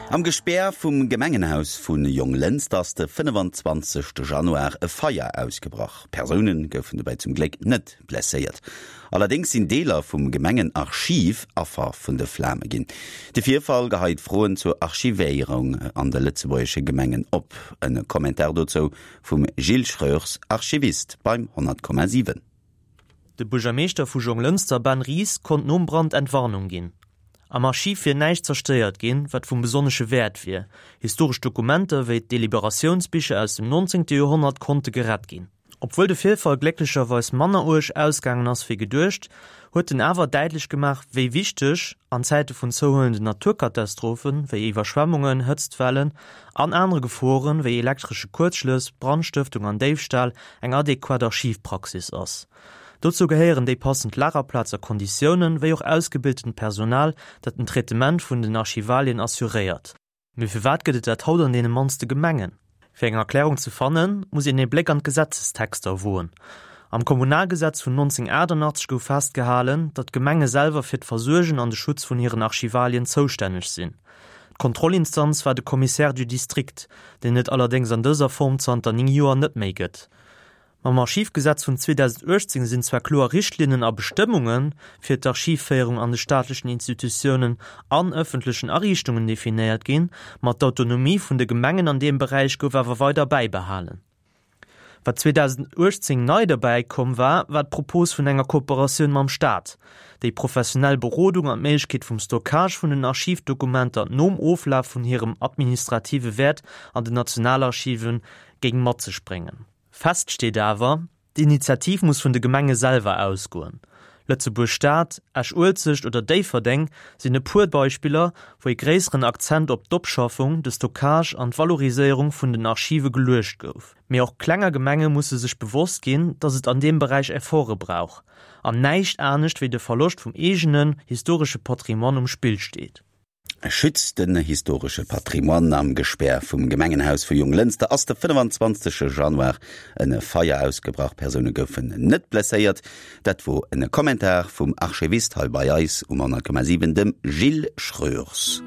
Am Gespär vum Gemengenhaus vu Jonglënster ass de 25 Januar e Feier ausgebrach. Persoune goufen dobäi zum Gléck net blesséiert. Allerdéngs sinn Deeler vum Gemengenarchiv Affer vun de Flame ginn. De Virfall geheit Froen zur Archivéierung an de lëtzebuergesche Gemengen op. En Kommentar dozou vum Gilles Schroers, Archivist beim 100,7. De Buergermeeschter vu Jonglënster Ben Ries konnt nom Brand Entwarnung ginn. Am Archiv wier näischt zerstéiert ginn, wat vum besonnesche Wäert wier. Historesch Dokumenter wéi d'Deliberatiounsbicher aus dem 19. Joerhonnert konnte gerett ginn. Obwuel de Virfall glécklecherweis manner uerg ausgaangen ass wéi geduecht, huet en awer däitlech gemaach, wéi wichteg, an Zäite vun zouhuelenden Naturkatastrophen, wéi Iwwerschwemmungen, Hëtztwellen an anere Geforen, wéi elektresche Kuerzschlëss, Brandstëftung an Déifstal, eng adequat Archivpraxis ass. Dozou gehéieren déi passend Lagerplaz a Konditiounen, wéi och ausgebiltent Personal, dat den Traitement vun den Archivalien assuréiert. Mee firwat gëtt et dat haut an deene mannste Gemengen? Fir eng Erklärung ze fannen, muss een ee Bléck an d'Gesetzestexter woen. Am Kommunalgesetz vun 1988 gouf festgehalen, datt d'Gemenge selwer fir d'Versuergen an de Schutz vun hiren Archivalien zoustänneg sinn. D'Kontrollinstanz war de Commissaire du district, deen et allerdéngs an dëser Form zanter 9 Joer net méi gëtt. Mam Archivgesetz vun 2018 sinn zwar kloer Richtlinnen a Bestëmmunge fir d'Archivféierung an de staatlechen Institutiounen an ëffentlechen Ariichtungen definéiert ginn, ma d'Autonomie vun de Gemengen an deem Beräich gouf awer weider bäibehalen. Wat 2018 nei derbäi komm war, war d'Propos vun enger Kooperatioun mam Staat, déi professionell Berodung an d'Méiglechkeet vum Stockage vun den Archivdokumenter nom Oflaf vun hirem administrative Wäert an den Nationalarchive géing mat sech bréngen. Fest steet awer, D'Initiativ muss vun de Gemenge selwer ausgoen. Lëtzebuerg Stad, Esch-Uelzecht oder Déifferdeng sinn e puer Beispiller, wou ee gréisseren Akzent op d'Opschaffung, de Stockage an d'Valoriséierung vun den Archive geluecht gouf. Mee och klenger Gemenge musse sech bewosst ginn, datt et an deem Beräich Efforte brauch an näischt anescht wéi de Verloscht vum eegenen historesche Patrimoine um Spill steet. Schützt den historesche Patrimoine Am Gespär vum Gemengenhaus vu Jonglënster ass de 25 Januar en Feier ausgebrach. Persoune goufen net blesséiert. Dat wor en Kommentar vum Archivist hei bei eis um 100,7, dem Gilles Schroers.